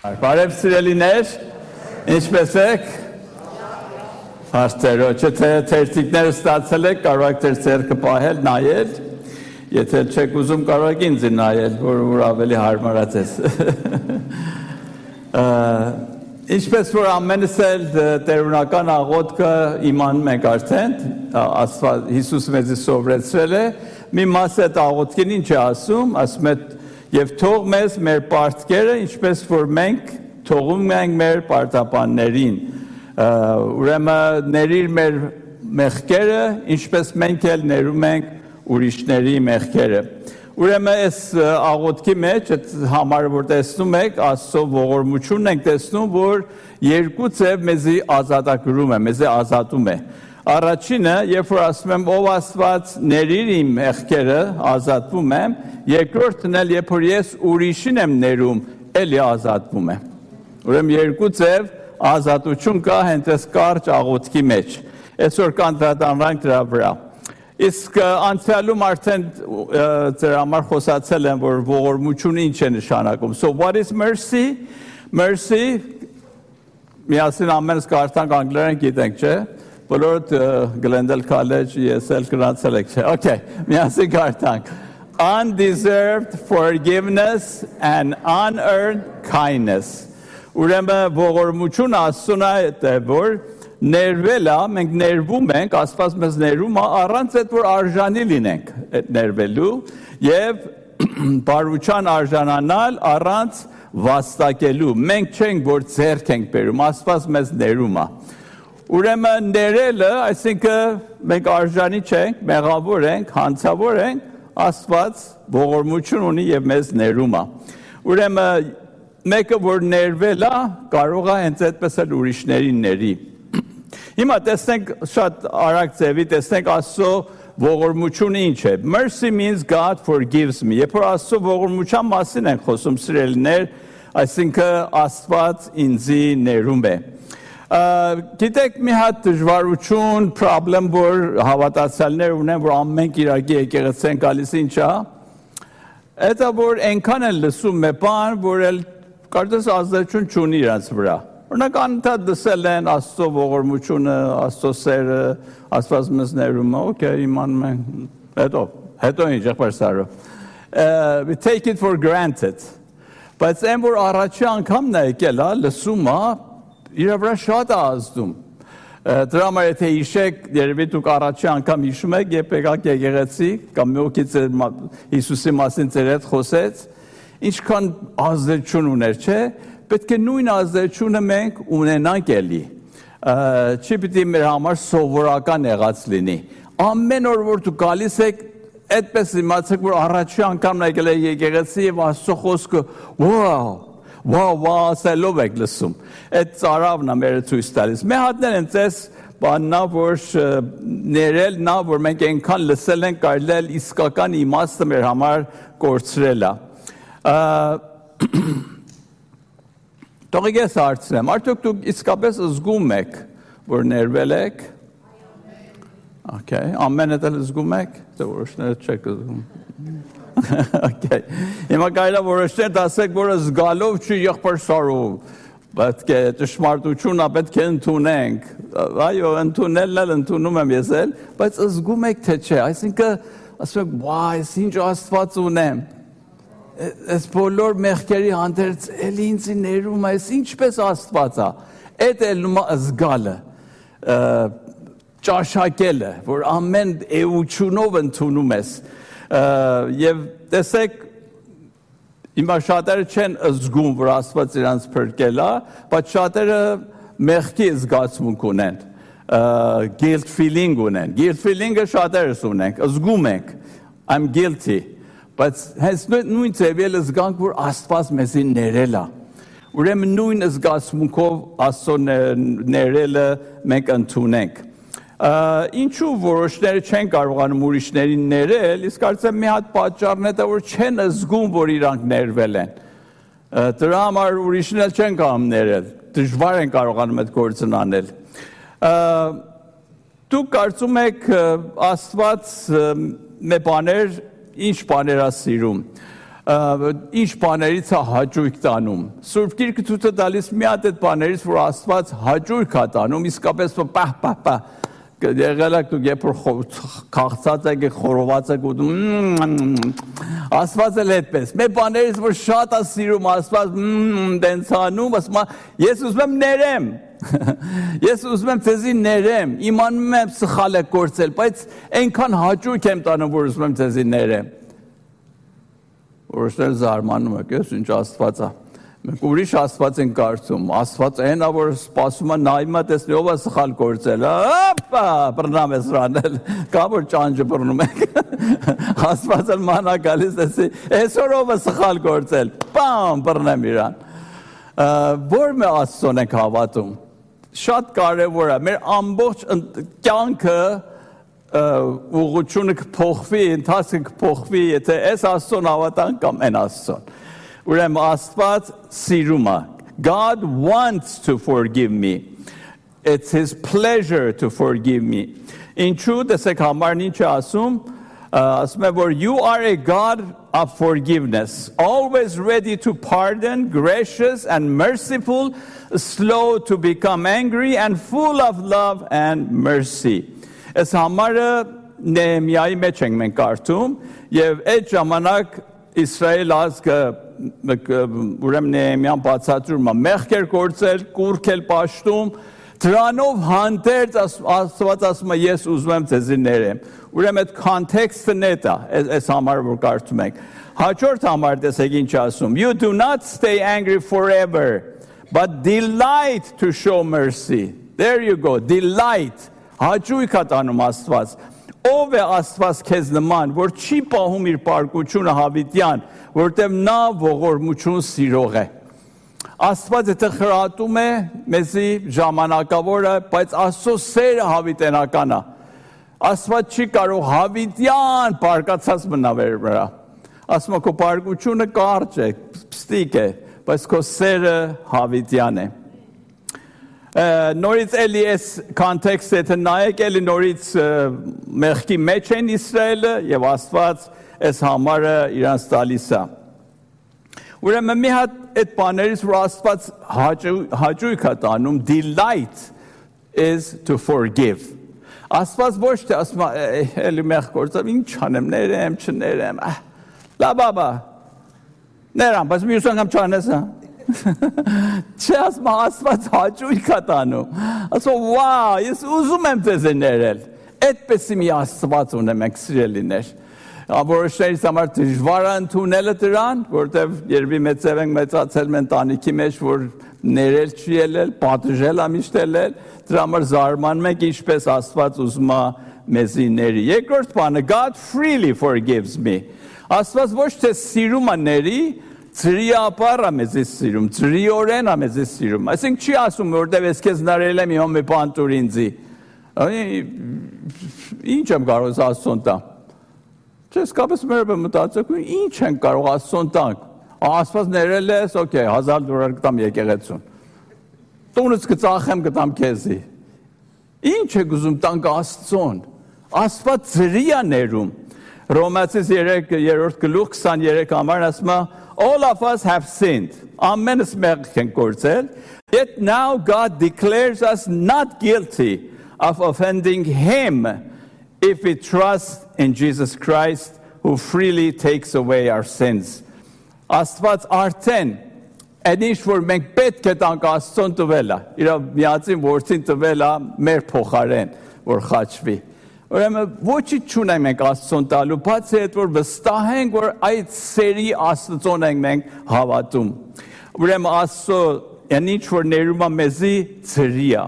Բարև սիրելիներ, ինչպե՞ս եք։ Հարցերո, չէ՞ թերթիկները ստացել եք, կարող եք ձեր ձեռքը պահել, նայել, եթե չեք ուզում կարող եք ինձ նայել, որ ավելի հարմարացես։ Ինչպես որ ամենս էլ տերունական աղոթքը իմանում ենք արդեն, Հիսուս մեզ սովորեցրել է, մի մաս այդ աղոթքին ինչ է ասում է Եվ թող մեզ մեր պարտքերը, ինչպես որ մենք թողում ենք մեր պարտապաններին, ուրեմն ներիր մեր մեղքերը, ինչպես մենք էլ ներում ենք ուրիշների մեղքերը։ Ուրեմն այս աղոթքի մեջ, այդ համարը որ տեսնում եք, Աստծո ողորմությունն ենք տեսնում, որ երկու ձև մեզի ազատագրում է, մեզի ազատում է։ Առաջինը, երբ որ ասում եմ ով Աստված ներիր իմ մեղքերը, ազատվում եմ, երկրորդն էլ երբ որ ես ուրիշին եմ ներում, էլի ազատվում եմ։ Ուրեմն երկու ձև ազատություն կա հենց այս կարճ աղոթքի մեջ։ Այսօր կանդրադառնանք դրա վրա։ Իսկ անցյալում արդեն ձեր համար խոսացել եմ, որ ողորմությունը ինչ է նշանակում։ So what is mercy? Mercy, միասին ամենս կարդանք անգլերեն գիտենք, չէ՞։ Բոլորդ Glendale College, ESL գնացել եք, չէ՞։ Okay, միասին կարդանք։ Undeserved forgiveness and unearned kindness. Ուրեմն ողորմություն ասում է, որ ներվելա, մենք ներվում ենք, Աստված մեզ ներում է, առանց այդ որ արժանի լինենք ներվելու եւ բարության արժանանալ առանց վաստակելու։ Մենք չենք որ ձեռք ենք բերում, Աստված մեզ ներում է։ Ուրեմն ներելը, այսինքն մենք արժանի չենք, մեղավոր ենք, հանցավոր ենք, Աստված ողորմություն ունի եւ մեզ ներում է։ Ուրեմն մեկը որ ներվել է, կարող է հենց այդպես էլ ուրիշներին ների։ Հիմա տեսնենք շատ արագ ձևի, տեսնենք Աստծո ողորմությունը ինչ է։ Mercy means God forgives me։ Երբ որ Աստծո ողորմության մասին ենք խոսում, սիրելիներ, այսինքն Աստված ինձի ներում է։ Գիտեք մի հատ դժվարություն, problem, որ հավատացյալներ ունեն, որ ամենք իրագի եկեղեցի են գալիս ինչա, դա որ այնքան են լսում մի բան, որ էլ կարծես ազդեցություն չունի իրանց վրա։ Օրինակ անընդհատ լսել են Աստծո ողորմությունը, Աստծո սերը, Աստված մեզ ներում է, okay, իմանում ենք, հետո ինչ եղբայր Սարո։ We take it for granted։ Բայց այն որ առաջի անգամն է եկել, լսում է, իր վրա շատ է ազդում։ Դրա համար եթե հիշեք, երևի դուք առաջի անգամ հիշում եք, երբ եկաք եկեղեցի, կամ մի օգից Հիսուսի մասին ձեր հետ խոսեց, ինչքան ազդեցություն ուներ, չէ՞։ Պետք է նույն ազդեցությունը մենք ունենանք էլի։ Չի պիտի մեր համար սովորական եղած լինի։ Ամեն օր որ դուք գալիս եք, այդպես իմացեք, որ առաջի անգամն եկել եք եկեղեցի եւ Աստծո խոսքը, wow, ասելով եք լսում։ Այդ ծարավն է մեր ցույց տալիս։ Մի հատներ են ցես բաննա, որ ներել նա, որ մենք այնքան լսել ենք, կարելի է իսկական իմաստը մեր համար կորցրել է։ Թողեք ես հարցնեմ, արդյոք դուք իսկապես զգում եք, որ ներվել եք։ Okay, ամենը դեռ զգում եք, թե որոշները չեք զգում։ Okay, հիմա կարելի է որոշներ ասեք, որ զգալով չի եղբայր Սարո, պետք է ճշմարտությունն պետք է ընդունենք։ Այո, ընդունելն էլ ընդունում եմ ես էլ, բայց զգում եք թե չէ, այսինքն ասում եք, «Վայ, ինչ Աստված ունեմ»։ Այս բոլոր մեղքերի հանդերձ էլ ինձ ներում է, ինչպես Աստված է։ Այդ էլ զգալը, ճաշակելը, որ ամեն էությունով ընդունում ես։ Եվ տեսեք, հիմա շատերը չեն զգում, որ Աստված իրանց փրկել է, բայց շատերը մեղքի զգացմունք ունեն, guilt feeling ունեն։ Guilt feeling-ը շատերս ունենք, զգում ենք, I'm guilty։ Բայց հենց նույն ձևել զգանք, որ Աստված մեզի ներել է։ Ուրեմն նույն զգացմունքով Աստծո ներելը մենք ընդունենք։ Ինչու որոշները չեն կարողանում ուրիշներին ներել, իսկ կարծեմ մի հատ պատճառն է, որ չեն զգում, որ իրանք ներվել են։ Դրա համար ուրիշն էլ չեն կարող ներել, դժվար են կարողանում այդ գործն անել։ Դուք կարծում եք Աստված մի բաներ, ինչ բաներ է սիրում։ ինչ բաներից է հաճույք տանում։ Սուրբ Գիրքը ցույց է տալիս մի հատ այդ բաներից, որ Աստված հաճույք է տանում, իսկապես պահ եղել եք դուք երբ որ քաղցած եք խորոված եք ուտում Աստված էլ այդպես մեր բաներից որ շատ է սիրում Աստված դենց անում ասում ես ուզում եմ ներեմ ես ուզում եմ ձեզի ներեմ իմանում եմ սխալ եք գործել բայց այնքան հաճույք եմ տանում որ ուզում եմ ձեզի ներեմ որոշներ զարմանում եք ես ինչ Աստված է մենք ուրիշ Աստված են կարծում Աստված այն է որ սպասում է նայում է տեսնի ով է սխալ գործել հոպա բռնամ ես ռանել կա որ ճանճը բռնում եք Աստված էլ մանա գալիս տեսի այսօր ով է սխալ գործել բամ բռնեմ իրան որ մի Աստծուն ենք հավատում շատ կարևոր է մեր ամբողջ կյանքը ուղղությունը կփոխվի ընթացքը կփոխվի եթե այս Աստծուն հավատանք կամ այն Աստծուն Ուրեմն Աստված սիրում է God wants to forgive me It's his pleasure to forgive me Ինչու տեսեք համարն ինչ է ասում ասում է որ you are a God of forgiveness always ready to pardon gracious and merciful slow to become angry and full of love and mercy Այս համարը Նեեմիայի մեջ ենք մենք կարդում եւ այդ ժամանակ Իսրայել ազգը ուրեմն Նեեմիան բացատրում է մեղք էր գործել, կուռք էր պաշտում, դրանով հանդերձ Աստված ասում է ես ուզում եմ ձեզի ներեմ։ Ուրեմն այդ context-ն է դա, այս համարը որ կարդում ենք։ Հաջորդ համարը տեսեք ինչ ասում. You do not stay angry forever, but delight to show mercy. There you go, delight. Հաճույք է տանում Աստված։ Ով է Աստված քեզ նման, որ չի պահում իր պարկությունը հավիտյան, որտեղ նա ողորմություն սիրող է։ Աստված եթե խրատում է, մեզի ժամանակավոր է, բայց Աստծո սերը հավիտենական է։ Աստված չի կարող հավիտյան պարկացած մնալ վրա։ Ասում է քո պարկությունը կարճ է, պստիկ է, բայց քո սերը հավիտյան է։ Նորից էլի այս context-ը եթե նայեք էլի նորից մեղքի մեջ են Իսրայելը եւ Աստված այս համարը իրանց տալիս է։ Ուրեմն մի հատ այդ բաներից որ Աստված հաճույք է տանում delight is to forgive։ Աստված ոչ թե ասում է էլի մեղ գործավ ինչ անեմ ներեմ չներեմ լաբաբա ներամ բայց մյուս անգամ չանես Չէ ասում Աստված հաճույք է տանում ասում վա ես ուզում եմ ձեզ ներել այդպես մի Աստված ունեմ եք սիրելիներ որոշներից համար դժվար է ընդունելը դրան որտեվ երբի մեծև ենք մեծացել ընտանիքի մեջ որ ներել չի ելել պատժել է միշտ ելել դրա համար զարմանում ենք ինչպես Աստված ուզում է մեզի ների երկրորդ բանը God freely forgives me Աստված ոչ թե սիրում է ների Ծրիապար է մեզի սիրում, ծրիորեն է մեզի սիրում, այսինք չի ասում, որտև ես կեզ նարել եմ իմ մի բան տուր ինձի, ինչ եմ կարող ես Աստծուն տամ, չես կապես մեր մտածեք, ինչ են կարող Աստծուն տանք, Աստված ներել ես, օքեյ, $1000 կտամ եկեղեցուն, տունս կծախեմ կտամ քեզի, ինչ եք ուզում տանք Աստծուն, Աստված ծրի է ներում, Ռոմացիս 3-րդ գլուխ 23 համարն ասում է All of us have sinned. Ամենս մեղք ենք գործել. Yet now God declares us not guilty of offending him if we trust in Jesus Christ who freely takes away our sins. Աստված արդեն այնիշ որ մենք պետք է տանք Աստծուն տվել է. Իր միածին որդին տվել է մեր փոխարեն, որ խաչվի. Ուրեմն ոչինչ չունենք մենք Աստծուն տալու, բացի այդ որ վստահենք, որ այդ սերի Աստծուն ենք մենք հավատում։ Ուրեմն Աստծո ինչ որ ներում է մեզի ծրի է։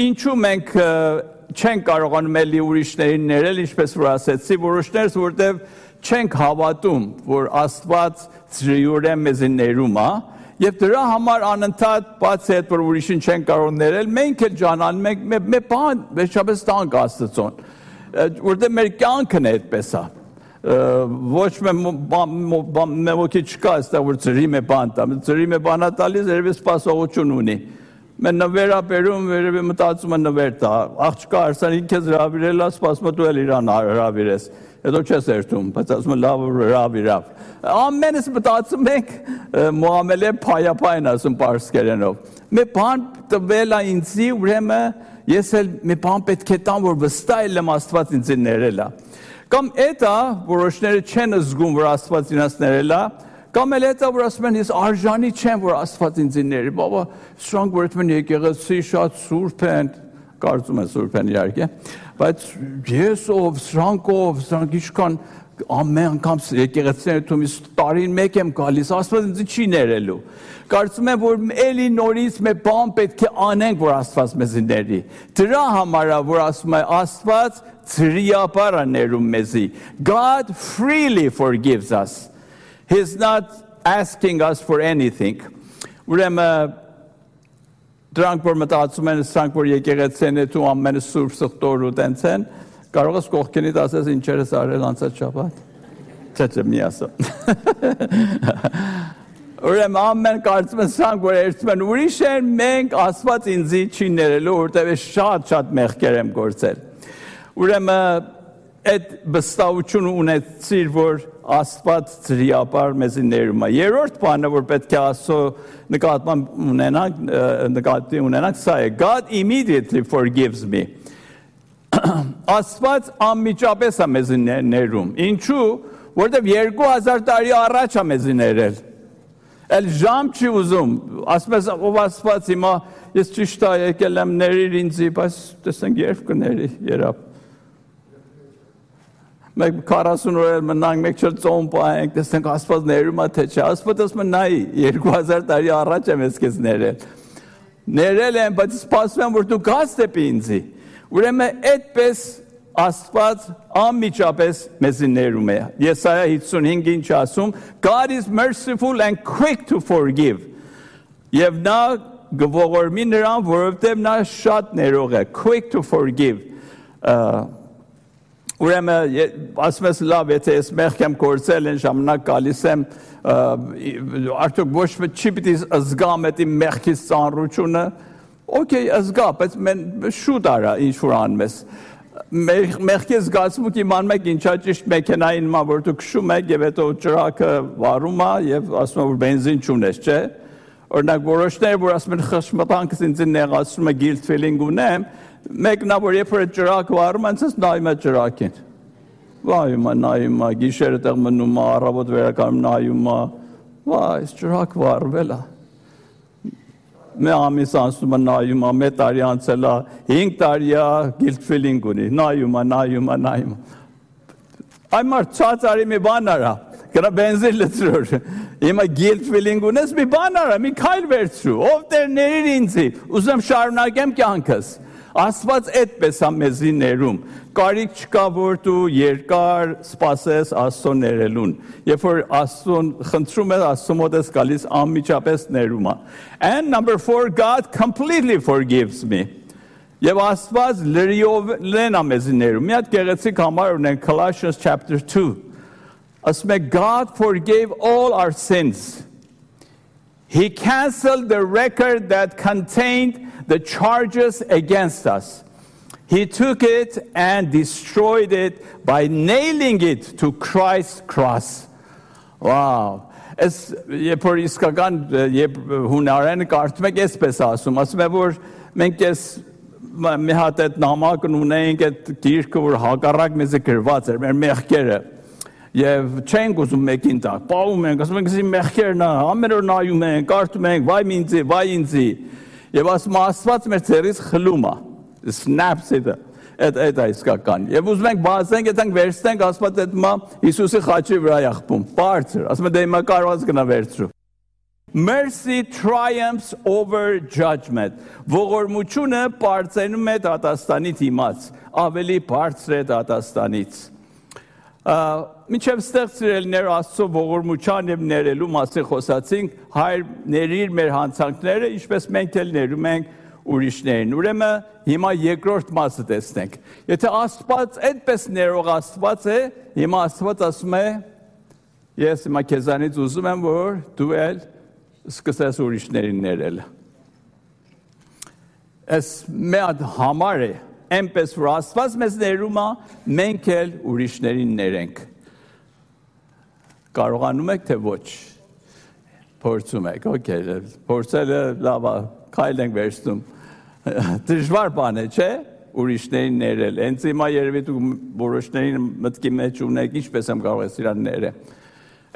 Ինչու մենք չենք կարողանում էլի ուրիշներին ներել, ինչպես որ ասեցի, որոշներս որտեղ չենք հավատում, որ Աստված ծրիորեն մեզի ներում է, Եվ դրա համար անընդհատ բացի այդ որ ուրիշին չեն կարող ներել, մենք էլ ջանանում ենք մեր բան վերջապես տանք Աստծուն, որտեղ մեր կյանքն է այդպես է, ոչ մի ոգի չկա այստեղ որ ծրի մի բան տա, ծրի մի բանա տալիս երևի սպասողություն ունի, Mən նվերապերում վերևի մտածում եմ նվեր տա, աղջկա արսան ինքեզ հրավիրել է, սպասում դու էլ իրան հրավիրես, հետո չես երթում, բայց ասում եմ լավ հրավիրավ։ Ամենս մտածում ենք մուամելե փայապայն ասում պարսկերենով։ Մի բան տվել է ինձի, ուրեմն ես էլ մի բան պետք է տամ, որ վստահ եմ Աստված ինձ ներել է։ Կամ էտա որոշները չեն զգում, որ Աստված ինձ ներել է, կամ էլ էտա որ ասում են ես արժանի չեմ, որ Աստված ինձ ների, բաբա, սրանք որ այդպես եկեղեցի շատ սուրբ են, կարծում եմ սուրբ են իհարկե, բայց ես ով, սրանք ինչքան ամեն անգամ եկեղեցիները թումից տարին մեկ եմ գալիս, Աստված ինձ չի ներելու։ Կարծում եմ, որ էլի նորից մի բան պետք է անենք, որ Աստված մեզ ների։ Դրա համար է, որ ասում է Աստված ծրիապար է ներում մեզի։ God freely forgives us. He's not asking us for anything. Ուրեմն դրանք որ մտածում են, սրանք որ եկեղեցին է դու ամենը սուրբ սխտոր ու տենց են, կարող ես կողքինիդ ասես ինչեր ես արել անցած շաբաթ։ Չէ, մի ասա։ Ուրեմն ամեն կարծում են սրանք որ երթում են ուրիշ են, մենք Աստված ինձի չի ներելու, որտեղ շատ մեղքեր եմ գործել։ Ուրեմն այդ վստահությունը ունեցիր, որ Աստված ծրիապար մեզի ներում է։ Երրորդ բանը, որ պետք է Աստծո նկատի ունենանք, սա է. God immediately forgives me. Աստված անմիջապես է մեզի ներում։ Ինչու? Որտեղ 2000 տարի առաջ է մեզի ներել։ Էլ ժամ չի ուզում։ Ասում ես ով Աստված հիմա ես ճիշտ է եկել եմ ներիր ինձի, բայց տեսնենք երբ կների երբ։ Մենք 40 օր մնանք, մեկ չել ծոմ պահենք, տեսնենք Աստված ներում է թե չէ։ Աստված ասում է նայ 2000 տարի առաջ եմ ես քեզ ներել։ Ներել եմ, բայց սպասում եմ որ դու գաս դեպի ինձի։ Ուրեմն այդպես Աստված անմիջապես մեզ ներում է։ Եսայա 55-ին ինչ ասում, God is merciful and quick to forgive. Եվ նա գողորմի նրան, որովհետև նա շատ ներող է, quick to forgive. Ուրեմն ասում ես լավ, եթե ես մեղք եմ գործել, այն ժամանակ գալիս եմ, արդյոք ոչ չի պիտի զգամ այդ իմ մեղքից ծանրությունը, օքեյ, զգա, բայց շուտ արա ինչ որ անում ես։ Մեղքի զգացմունք իմանում եք ինչա ճիշտ մեքենային նման, որ դու քշում եք եւ հետո ճրակը վառում է եւ ասում է որ բենզին չունես, չէ։ Օրինակ որոշները որ ասում են խշմտանքս ինձ նեղացնում է guilt feeling ունեմ, մեկնա որ երբ որ ճրակ վառում են, ցած նայում է ճրակին։ Նայում է, գիշերը տեղ մնում է, առավոտ վերականգնում նայում է, վայ, ճրակ վառվել է։ Մի ամիս անցնում է նայում է, մի տարի անցել է, 5 տարի է guilt feeling ունի, նայում է։ Այ մարդ ցածարի մի բան արա, գնա բենզին լցրոր։ Հիմա guilt feeling ունես, մի բան արա, մի քայլ վերցրու, ով Տեր ներիր ինձի, ուզեմ շարունակեմ կյանքս։ Աստված այդպես է մեզի ներում։ Կարիք չկա որ դու երկար սպասես Աստծո ներելուն։ Երբ որ Աստծուն խնդրում ես, Աստծո մոտ ես գալիս անմիջապես ներում է։ And number 4, God completely forgives me. Եվ Աստված լրիվորեն է մեզի ներում։ Մի հատ գեղեցիկ համար ունենք Colossians chapter 2. Ասում է God forgave all our sins. He canceled the record that contained the charges against us. He took it and destroyed it by nailing it to Christ's cross. Wow. Es por iskagan hunaren կարդում եք այսպես ասում է որ մենք ես մի հատ այդ նամակն ունենք այդ գիրքը որ հակառակ մեզ գրված էր մեր մեղքերը Եվ չենք ուզում մեկին տակ, պահում ենք, ասում ենք զի մեղքերն է, ամեն օր նայում ենք, կարդում ենք, վայ ինձի, եւ ասում Աստված մեր ցերից խլում է, snaps it, այդ իսկական, եւ ուզում ենք բացենք, այդենք վերցնենք, Աստված այդ մա Հիսուսի խաչի վրա եղբում, բարձր, ասում է դե հիմա կարողած գնա վերցրու։ Mercy triumphs over judgment. Ողորմությունը բարձրանում է դատաստանից իմաց, ավելի բարձր է դատաստանից։ Մինչև ստեղծրելներ Աստծո ողորմության եւ ներելու մասին խոսացինք, Հայր ներիր մեր հանցանքները, ինչպես մենք էլ ներում ենք ուրիշներին։ Ուրեմն հիմա երկրորդ մասը տեսնենք։ Եթե Աստված այդպես ներող Աստված է, հիմա Աստված ասում է. Ես հիմա քեզանից ուզում եմ, որ դու էլ սկսես ուրիշներին ներել։ Այս մեծ համար է, այնպես որ Աստված մեզ ներում է, մենք էլ ուրիշներին ներենք։ Կարողանում եք թե ոչ։ Փորձում եք, օքեյ, փորձելը լավ է, քայլ ենք վերցնում։ Դժվար բան է, չէ՞, ուրիշներին ներել։ Հենց հիմա երևի դու որոշներին մտքի մեջ ունեք, ինչպես եմ կարող ես իրան ներել։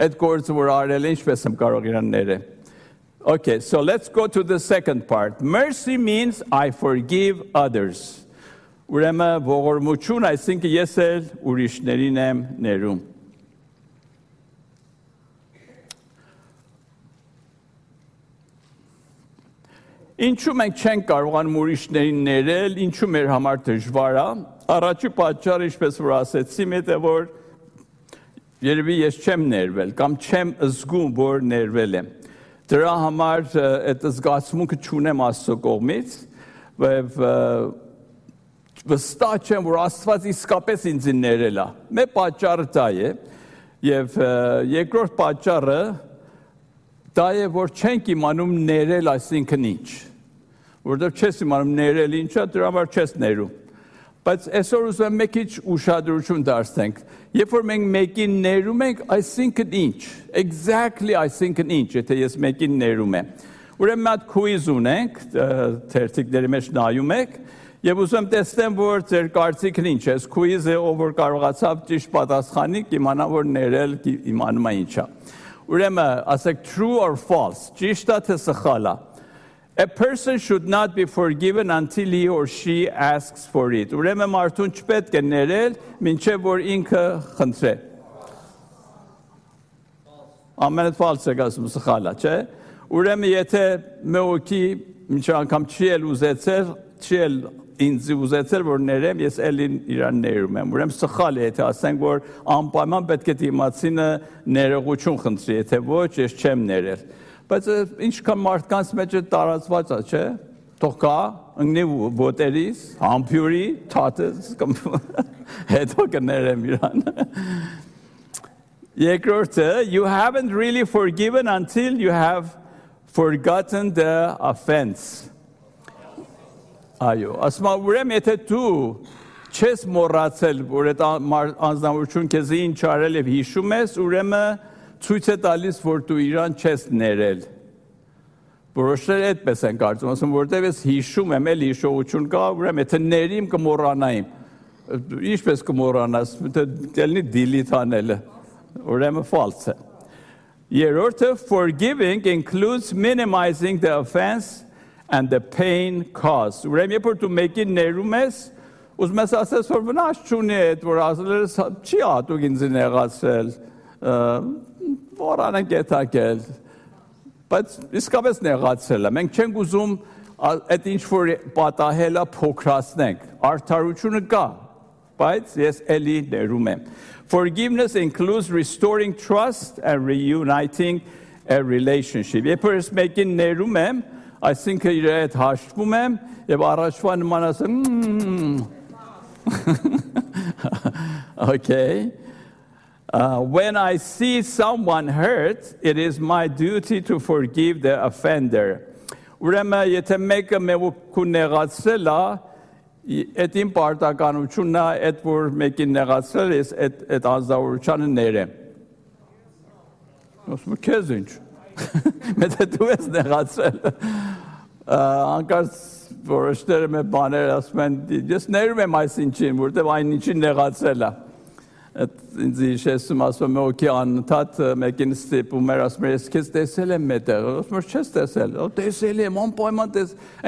Այդ գործը որ արել է, ինչպես եմ կարող իրան ներել։ Okay, so let's go to the second part. Mercy means I forgive others. Ուրեմն ողորմություն, այսինքն ես էլ ուրիշներին եմ ներում։ Ինչու մենք չենք կարողանում ուրիշներին ներել, ինչու մեր համար դժվար է։ Առաջի պատճառը, ինչպես որ ասեցի, միտը որ երևի ես չեմ ներվել կամ չեմ զգում, որ ներվել եմ։ Դրա համար այդ զգացմունքը չունեմ Աստծո կողմից, եւ վստահ չեմ, որ Աստված իսկապես ինձ ներել է։ Մեր պատճառը դա է, եւ երկրորդ պատճառը դա է, որ չենք իմանում ներել, այսինքն ինչ։ Որովհետեւ չես իմանում ներել ինչա, դրա համար չես ներում։ Բայց այսօր ուզում եմ մի քիչ ուշադրություն դարձնենք։ Երբ որ մենք մեկին ներում ենք, այսինքն ինչ։ Exactly այսինքն ինչ, եթե ես մեկին ներում եմ։ Ուրեմն մի հատ quiz ունենք, թերթիկների մեջ նայում եք, եւ ուզում եմ տեսնեմ, որ ձեր կարծիքն ինչ է։ Այս quiz-ը ով որ կարողացավ ճիշտ պատասխանի, կիմանա, որ ներել իմանում է ինչա։ Ուրեմն ասեք true or false, ճիշտ է թե սխալ է։ A person should not be forgiven until he or she asks for it. Ուրեմն մարդուն չպետք է ներել, մինչև որ ինքը խնդրե։ Ամենը false է ասում, սխալ է, չէ՞։ Ուրեմն եթե մեկի ինչ անգամ չի էլ ուզեցել, չի էլ ինձ ուզեցել, որ ներեմ, ես էլ իրան ներում եմ։ Ուրեմն սխալ է, եթե ասենք, որ անպայման պետք է դիմացինը ներողություն խնդրի, եթե ոչ, ես չեմ ներել։ Բայց ինչքան մարդկանց մեջ է տարածված է, չէ՞։ Թող կա, ընկնի ոտերից, համբյուրի, թաթից, հետո կներեմ իրան։ Երկրորդը, you haven't really forgiven until you have forgotten the offense. Այո, ասում եմ, ուրեմն եթե դու չես մոռացել, որ այդ անձնավորություն քեզ ինչ արել եւ հիշում ես, ուրեմն ցույց է տալիս, որ դու իրան չես ներել։ Որոշները այդպես են կարծում, ասում որտեվ ես հիշում եմ, էլ հիշողություն կա, ուրեմն եթե ներիմ կմոռանայիմ։ Ինչպես կմոռանաս, դելնի delete անելը։ Ուրեմն false է։ Երրորդը, forgiving includes minimizing the offense and the pain caused. Ուրեմն երբ որ դու մեկին ներում ես, ուզում ես ասես, որ վնաս չունի այդ, որ ասել ես, չի ատուկ ինձ նեղացրել, որան են կետակել, բայց իսկապես նեղացել է, մենք չենք ուզում այդ ինչ որ պատահելը փոքրացնենք, արդարությունը կա, բայց ես էլի ներում եմ։ Forgiveness includes restoring trust and reuniting a relationship։ Երբ որ ես մեկին ներում եմ, այսինքն իր հետ հաշտվում եմ եւ առաջվա նման ասեմ Okay. When I see someone hurt, it is my duty to forgive the offender. Ուրեմն եթե մեկը մեկու նեղացրել է, այդ իմ պարտականությունն է, այդ որ մեկին նեղացրել ես, այդ անձնավորությանը ներեմ։ Ասում եմ, քեզ ինչ։ Մետը դու ես նեղացրել։ Անկարծ որոշները մեր բաներ ասում են, ես ներում եմ այսինչին, որտեղ այն ինչին նեղացրել է։ Ինձ հիշեցնում ասում եմ, օքեյ անընդհատ մեկին ստիպում էր, ասում եմ, ես քեզ տեսել եմ մետեղ, ասում եմ, չես տեսել, տեսել եմ, անպայման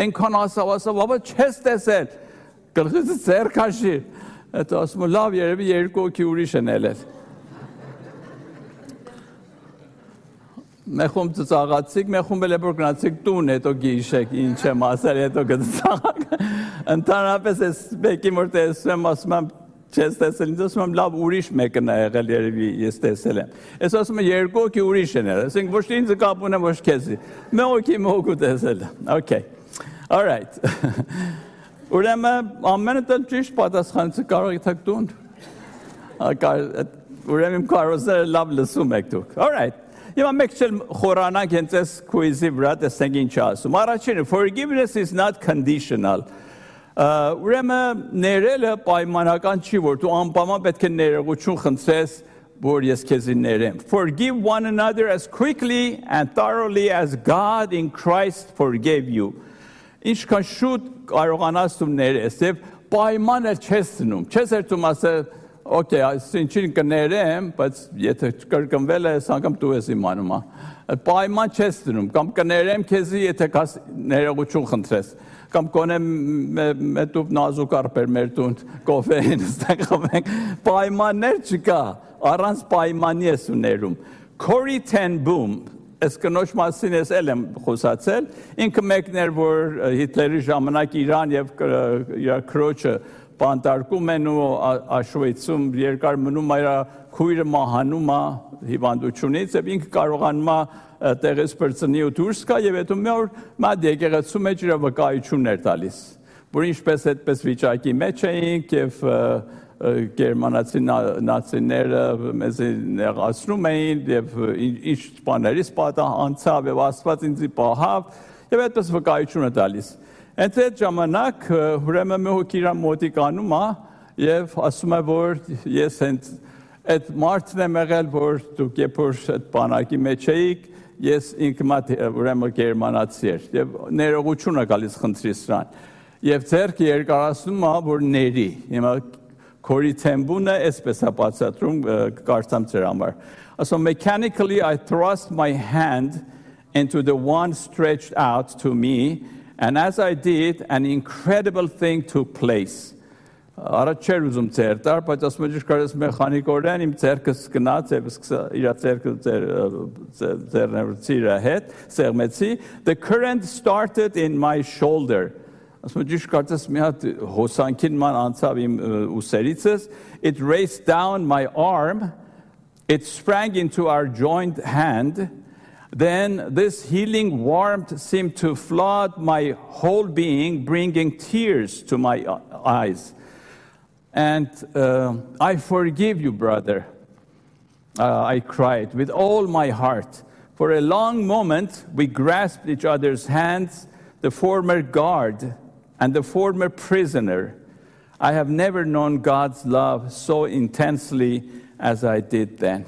այնքան ասավ, ապա չես տեսել, գլխից ձեռ քաշիր, հետո ասում եմ, լավ, երևի երկու հոգի ուրիշ են ելել։ Մեխում ծաղացիք, մեխում էլ որ գնացիք տուն, հետո գիշեք, ինչ եմ ասել, հետո գծաղակ։ Ընդհանրապես ես մեկի որ տեսում եմ, ասում եմ, չես տեսել, ինձ ասում եմ, լավ ուրիշ մեկն է եղել, երևի ես տեսել եմ։ Ես ասում եմ, երկու հոգի ուրիշ են եղել, ասենք ոչ ինձ կապ ունեմ, ոչ քեզի։ Մեկ հոգի մոգու տեսել։ Okay. All right. Ուրեմն ամենը տեղ ճիշտ պատասխանեցի կարող եք տուն։ ուրեմն կարոզները լավ լսում եք դուք։ All right. Եվ մեկ չել խորանանք հենց այս քույզի վրա տեսնենք ինչ ասում։ Առաջինը, forgiveness is not conditional. Ուրեմն ներելը պայմանական չի, որ դու անպայման պետք է ներողություն խնդրես, որ ես քեզ ներեմ. Forgive one another as quickly and thoroughly as God in Christ forgave you. Ինչքան շուտ կարողանաս դու ներես, եւ պայմանը չես դնում։ Չես երթում ասել, okay, այսինքն կներեմ, բայց եթե կրկնվել ես, անգամ դու ես իմանում, պայման չես դնում, կամ կներեմ քեզի, եթե կաս ներողություն խնդրես, կամ կոնե մետուպ նազուկ արբեր մեր տուն կոֆեին ստեղծենք, պայմաններ չկա, առանց պայմանի ես ու ներում։ Corrie ten Boom, Այս կնոջ մասին ես էլ եմ խոսացել, ինքը մեկն էր, որ Հիտլերի ժամանակ Իրան եւ իր քրոջը բանտարկում են ու Աշուվիցում երկար մնում իր քույրը մահանում է հիվանդությունից եւ ինքը կարողանում է տեղից բրծնի ու դուրս գա եւ հետո մի օր մատ եկեղեցու մեջ իր վկայություններ տալիս, որ ինչպես այդպես վիճակի մեջ էինք եւ գերմանացի նացիները մեզ նեղացնում էին եւ ինչ բաներից անցավ եւ Աստված ինձ պահավ եւ այդպես վկայություն է տալիս։ Հենց այդ ժամանակ ուրեմն մի հոգի իր մոտիկանում է եւ ասում է, որ ես հենց այդ մարդն եմ եղել, որ դուք երբ որ այդ բանակի մեջ էիք, ես ինքնաթ ուրեմն գերմանացի էր եւ ներողություն է գալիս խնդրի սրան եւ ձեռքը երկարացնում է, որ ների։ Հիմա Corrie ten Boom այսպես է բացատրում կարծամ ձեր համար։ So mechanically I thrust my hand into the one stretched out to me, and as I did, an incredible thing took place. Առաջ չէր ուզում ձեր տար, բայց ասում եմ ճիշտ մեխանիկորեն իմ ձեռքս գնաց եւ իր ձեռքը ձեռնեցի իր հետ, սեղմեցի. The current started in my shoulder. It raced down my arm, it sprang into our joined hand, then this healing warmth seemed to flood my whole being, bringing tears to my eyes. And I forgive you, brother, I cried with all my heart. For a long moment, we grasped each other's hands, the former guard and the former prisoner. I have never known God's love so intensely as I did then.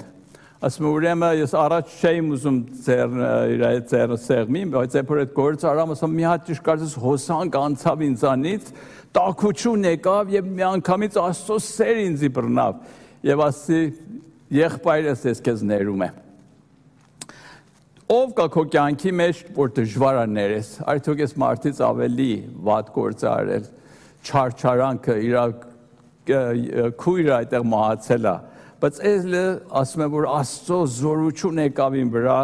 Ասում ուրեմն ես առաջ չէի ուզում ձեռը սեղմի, բայց երբ այդ գործը արամ, ասում մի հատ ճիշտ կարծես հոսանք անցավ ինձանից, տաքություն եկավ եւ մի անգամից Աստծո սեր ինձի բռնավ եւ ասի եղբայրս ես քեզ ներում եմ։ Ով կա քո կյանքի մեջ, որ դժվար է ներես, արդյոք ես մարդից ավելի վատ գործ արել, չարչարանքը, իր քույրը այդտեղ մահացել է, բայց էլը ասում եմ, որ Աստծո զորություն եկավ իմ վրա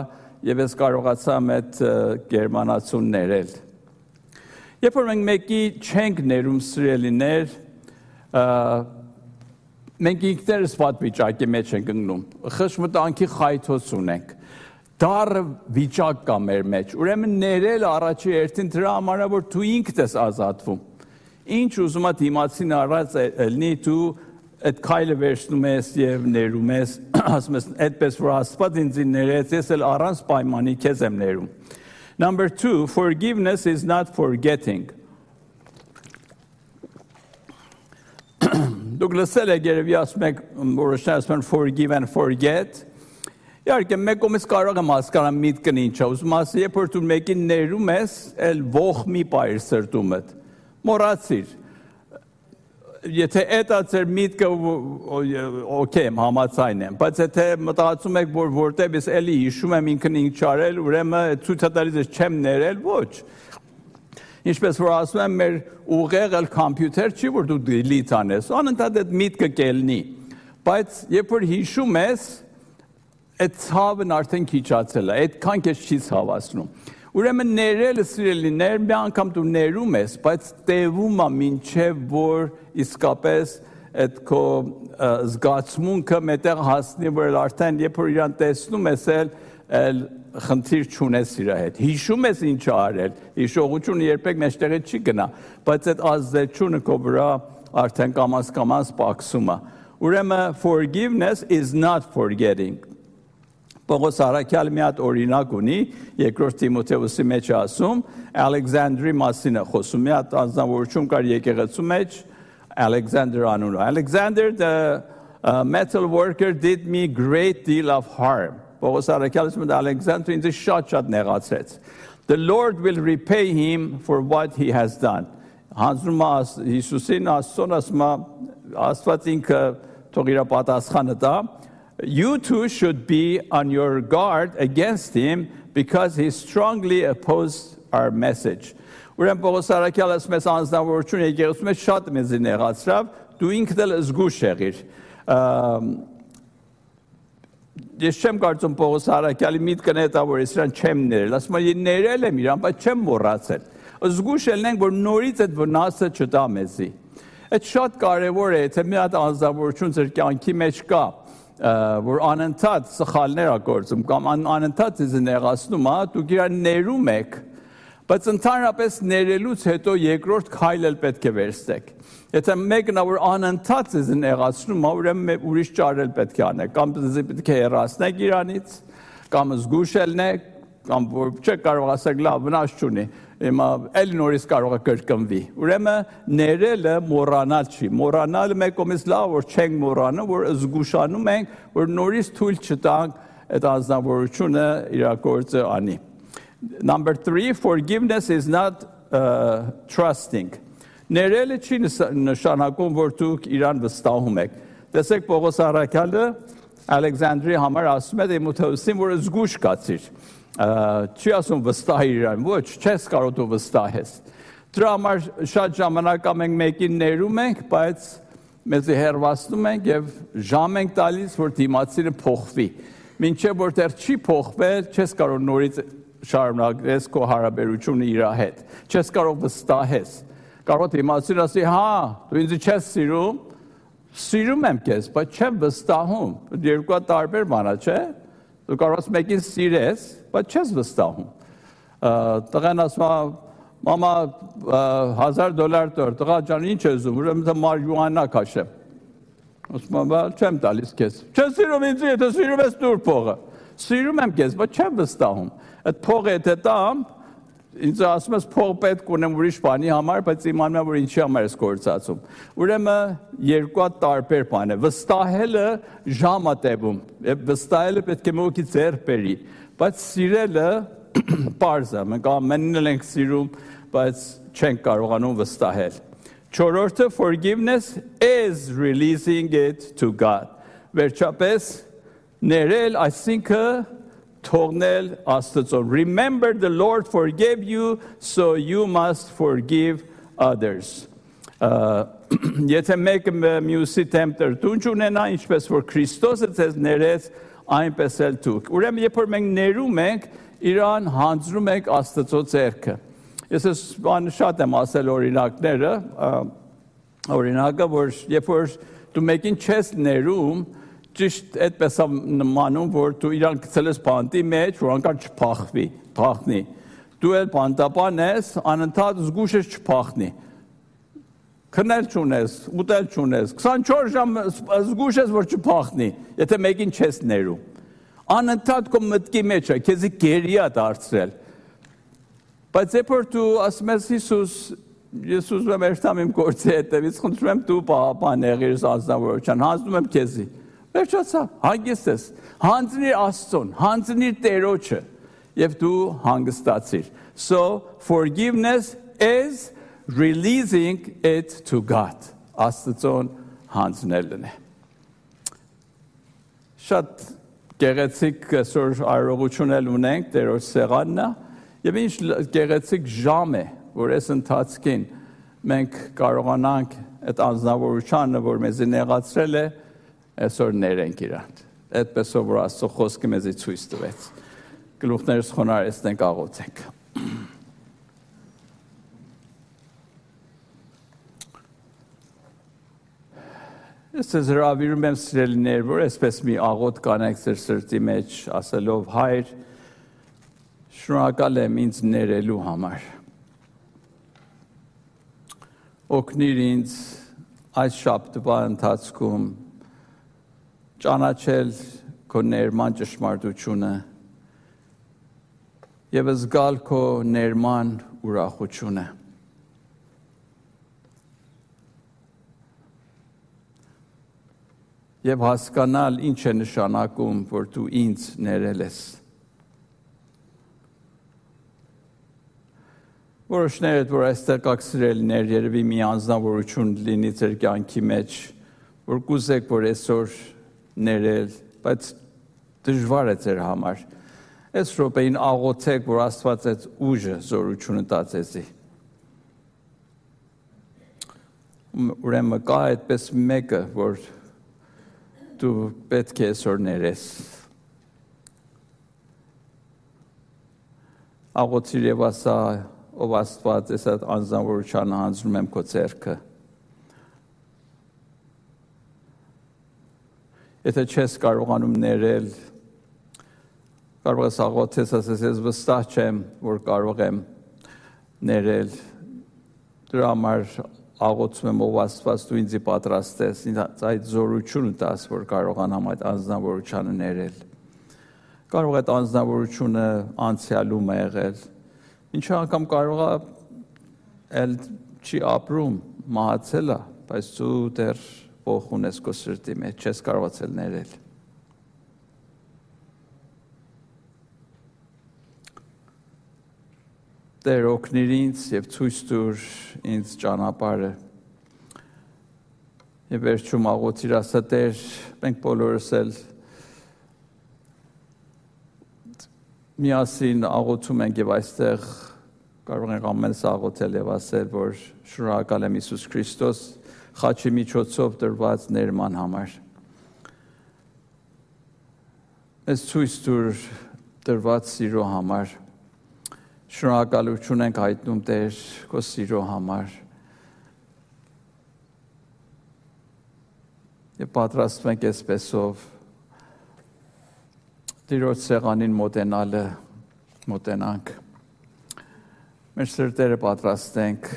եւ ես կարողացամ այդ գերմանացուն ներել։ Երբ որ մենք մեկի չենք ներում սիրելիներ, մենք ինքներս վատ վիճակի մեջ ենք ընկնում, խշմտանքի խայթոց ունենք, դառը վիճակ կա մեր մեջ, ուրեմն ներել առաջի երթին դրա համար է, որ դու ինքդ ես ազատվում, ինչ ուզում ես դիմացին առած ելնի, դու այդ քայլը վերցնում ես եւ ներում ես, ասում ես այդպես որ Աստված ինձ ներեց, ես էլ առանց պայմանի քեզ եմ ներում։ Number 2, forgiveness is not forgetting. Դուք լսել եք երևի ասում եք, որոշները ասում են forgive and forget. Իհարկե մեկ կողմից կարող եմ հասկանալ միտքն ինչ է, ուզում ասի, երբ որ դու մեկին ներում ես, էլ ող մի բայր սրտումդ, մոռացիր։ Եթե դա ձեր միտքը օքեյ եմ, համաձայն եմ, բայց եթե մտածում եք, որ որտեղ ես էլի հիշում եմ ինքն ինչ արել, ուրեմն ցույց տալիս ես չեմ ներել, ոչ։ Ինչպես որ ասում եմ, մեր ուղեղը կոմպյուտեր չի, որ դու delete անես, անընդհատ այդ միտքը կելնի։ Բայց երբ որ հիշում ես, այդ ցավն արդեն քիչացել է, այդքան քեզ չի ցավացնում։ Ուրեմն ներելը սիրելիներ, մի անգամ դու ներում ես, բայց տևում է մինչև որ իսկապես այդ քո զգացմունքը մետեղ հասնի, որ արդեն երբ որ իրան տեսնում ես, էլ խնդիր չունես իր հետ։ Հիշում ես ինչ արել, հիշողությունը երբեք մեջտեղից չի գնա, բայց այդ ազդեցությունը քո վրա արդեն կամաց-կամաց պակսում է։ Ուրեմն forgiveness is not forgetting. Պողոս Արաքյալը մի հատ օրինակ ունի, երկրորդ Թիմոթեոսի մեջ ասում, Ալեքսանդրի մասին է խոսում, մի հատ անձնավորություն կար եկեղեցու մեջ, Alexander անունով. Alexander, the metal worker, did me great deal of harm. Պողոս Արաքյալը ասում է Alexander ինձ շատ նեղացրեց. The Lord will repay him for what he has done. Հանձնում է Հիսուսին, Աստծուն ասում է, Աստված ինքը թող իր պատասխանը տա. You too should be on your guard against him because he strongly opposed our message. Ուրեմն Պողոս Արաքյալը ասում է անձնավորություն եկեղեցու մեջ շատ մեզ նեղացրավ, դու ինքդ էլ զգուշ եղիր։ Ես չեմ կարծում Պողոս Արաքյալի միտքն է դա որ ես իրան չեմ ներել, ասում եմ ներել եմ իրան, բայց չեմ մոռացել։ Զգուշ ելնենք որ նորից այդ վնասը չտա մեզի։ Այդ շատ կարևոր է, եթե մի հատ անձնավորություն ձեր կյանքի մեջ կա, որ անընդհատ սխալներ ա գործում կամ անընդհատ ձեզ նեղացնում է, դուք իրան ներում եք, բայց ընդհանրապես ներելուց հետո երկրորդ քայլը պետք է վերցնեք։ Եթե մեկն որ անընդհատ ձեզ նեղացնում է, ուրեմն ուրիշ ճարել պետք է անեք, կամ պետք է հեռացնեք իրանից, կամ զգուշ ելնեք, կամ որ չեք կարող ասեք լավ վնաս չունի, հիմա էլ նորից կարող է կրկնվի։ Ուրեմն ներելը մոռանալ չի։ Մոռանալը մեկ կողմից լավ որ չենք մոռանում, որ զգուշանում ենք, որ նորից թույլ չտանք այդ անձնավորությունը իր գործը անի։ Number 3, forgiveness is not trusting. Ներելը չի նշանակում, որ դուք իրան վստահում եք։ Տեսեք Պողոս Արաքյալը Ալեքսանդրի համար ասում է Թիմոթեոսին, որ զգուշ կացիր։ Չի ասում վստահիր իրան, ոչ, չես կարող դու վստահես։ Դրա համար շատ ժամանակ մենք մեկին ներում ենք, բայց մեզ հեռացնում ենք եւ ժամ ենք տալիս, որ դիմացինը փոխվի։ Մինչեւ որ դեռ չի փոխվել, չես կարող նորից շարունակես քո հարաբերությունը իր հետ։ Չես կարող վստահես։ Կարող դիմացինը ասի, հա, դու ինձ չես սիրում, սիրում եմ քեզ, բայց չեմ վստահում։ Երկու տարբեր բան է, չէ՞։ Դու կարող ես մեկին սիրես, բայց չես վստահում։ Տղան ասում է, մամա $1000 տոր, տղա ջան, ինչ ես ուզում, ուրեմն մարիհուանա քաշեմ։ Ասում եմ, չեմ տալիս քեզ։ Չես սիրում ինձ, եթե սիրում ես տուր փողը։ Սիրում եմ քեզ, բայց չեմ վստահում։ Այդ փողը եթե տամ, ինձ ասում ես փող պետք ունեմ ուրիշ բանի համար, բայց իմանում եմ որ ինչի համար ես գործածում։ Ուրեմն երկու տարբեր բան է։ Վստահելը ժամ է տևում, վստահելը պետք է մոքի ձեռ բերի, բայց սիրելը պարզ է։ Մենք ամենն ենք սիրում, բայց չենք կարողանում վստահել։ Չորրորդը forgiveness is releasing it to God. Վերջապես ներել այսինքն թողնել Աստծուն. Remember the Lord forgave you, so you must forgive others. Եթե մեկը մյուսի դեմ տրտունջ ունենա, ինչպես որ Քրիստոսը ձեզ ներեց, այնպես էլ դուք։ Ուրեմն երբ որ մենք ներում ենք, իրան հանձնում ենք Աստծո ձեռքը։ Ես շատ եմ ասել օրինակները, օրինակը որ երբ որ դու մեկին չես ներում, ճիշտ այդպես է նմանում, որ դու իրան գցել ես բանտի մեջ, որ անկար չփախնի։ Դու էլ բանտապան ես, անընդհատ զգուշ ես չփախնի։ Քնել չունես, ուտել չունես, 24 ժամ զգուշ ես, որ չփախնի, եթե մեկին չես ներում։ Անընդհատ քո մտքի մեջ է, քեզի գերի է դարձրել։ Բայց երբ որ դու ասում ես Հիսուս, ես ուզում եմ երթամ իմ գործի հետևից, խնդրում եմ դու բան եղիր անձնավորության, հանձնում եմ քեզի։ Վերջացա, հանգիստ ես, հանձնիր Աստծուն, հանձնիր Տերոջը և դու հանգստացիր։ So, forgiveness is releasing it to God. Աստծուն հանձնելն է։ Շատ գեղեցիկ այսօր արարողություն էլ ունենք, Տերոջ սեղանն է, և ինչ գեղեցիկ ժամ է, որ այս ընթացքին մենք կարողանանք այդ անձնավորությանը, որ մեզի նեղացրել է, այսօր ներենք իրան։ Այդպես որ Աստծո խոսքը մեզի ցույց տվեց։ Գլուխներս խոնարհեցնենք, աղոթենք։ Ես ձեզ հրավիրում եմ սիրելիներ, որ այսպես մի աղոթք կանեք ձեր սրտի մեջ, ասելով Հայր, շնորհակալ եմ ինձ ներելու համար։ Օգնիր ինձ այս շաբաթվա ընթացքում ճանաչել քո ներման ճշմարտությունը եւ զգալ քո ներման ուրախությունը։ Եվ հասկանալ ինչ է նշանակում, որ դու ինձ ներել ես։ Որոշները, որ այստեղ կաք սիրելիներ, երևի մի անձնավորություն լինի ձեր կյանքի մեջ, որ կուզեք, որ այսօր ներել, բայց դժվար է ձեր համար։ Այս րոպեին աղոթեք, որ Աստված այդ ուժը, զորությունը տա ձեզի։ Ուրեմն կա այդպես մեկը, որ դու պետք է այսօր ներես։ Աղոթիր եւ ասա, ով Աստված, ես այդ անձնավորությանը հանձնում եմ քո ձեռքը։ Եթե չես կարողանում ներել, կարող ես աղոթես, ասես ես վստահ չեմ, որ կարող եմ ներել։ Դրա համար աղոթում եմ, ով Աստված, դու ինձ պատրաստես, ինձ այդ զորությունը տաս, որ կարողանամ այդ անձնավորությանը ներել։ Կարող է այդ անձնավորությունը անցյալում է եղել, ինչ անգամ կարող է էլ չի ապրում, մահացել է, բայց դու դեռ ոխ ունես քո սրտի մեջ, չես կարողացել ներել։ Տեր օգնիր ինձ եւ ցույց տուր ինձ ճանապարհը։ Եվ վերջում աղոթիր, ասա Տեր, մենք բոլորս էլ միասին աղոթում ենք եւ այստեղ կարող ենք ամենս աղոթել եւ ասել, որ շնորհակալ եմ Հիսուս Քրիստոս խաչի միջոցով տրված ներման համար։ Ես ցույց տուր տրված սիրո համար։ Շնորհակալություն ենք հայտնում Տեր քո սիրո համար։ Եվ պատրաստվում ենք այսպեսով Տիրոջ սեղանին մոտենանք։ Մեր սրտերը պատրաստենք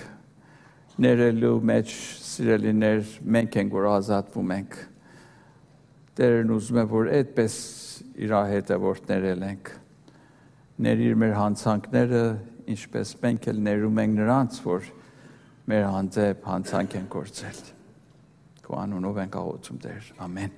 ներելու մեջ սիրելիներ, մենք ենք, որ ազատվում ենք։ Տերն ուզում է, որ այդպես իր հետևորդ ներել ենք։ Ներիր մեր հանցանքները, ինչպես մենք էլ ներում ենք նրանց, որ մեր հանդեպ հանցանք են գործել։ Քո անունով ենք աղոթում Տեր, ամեն։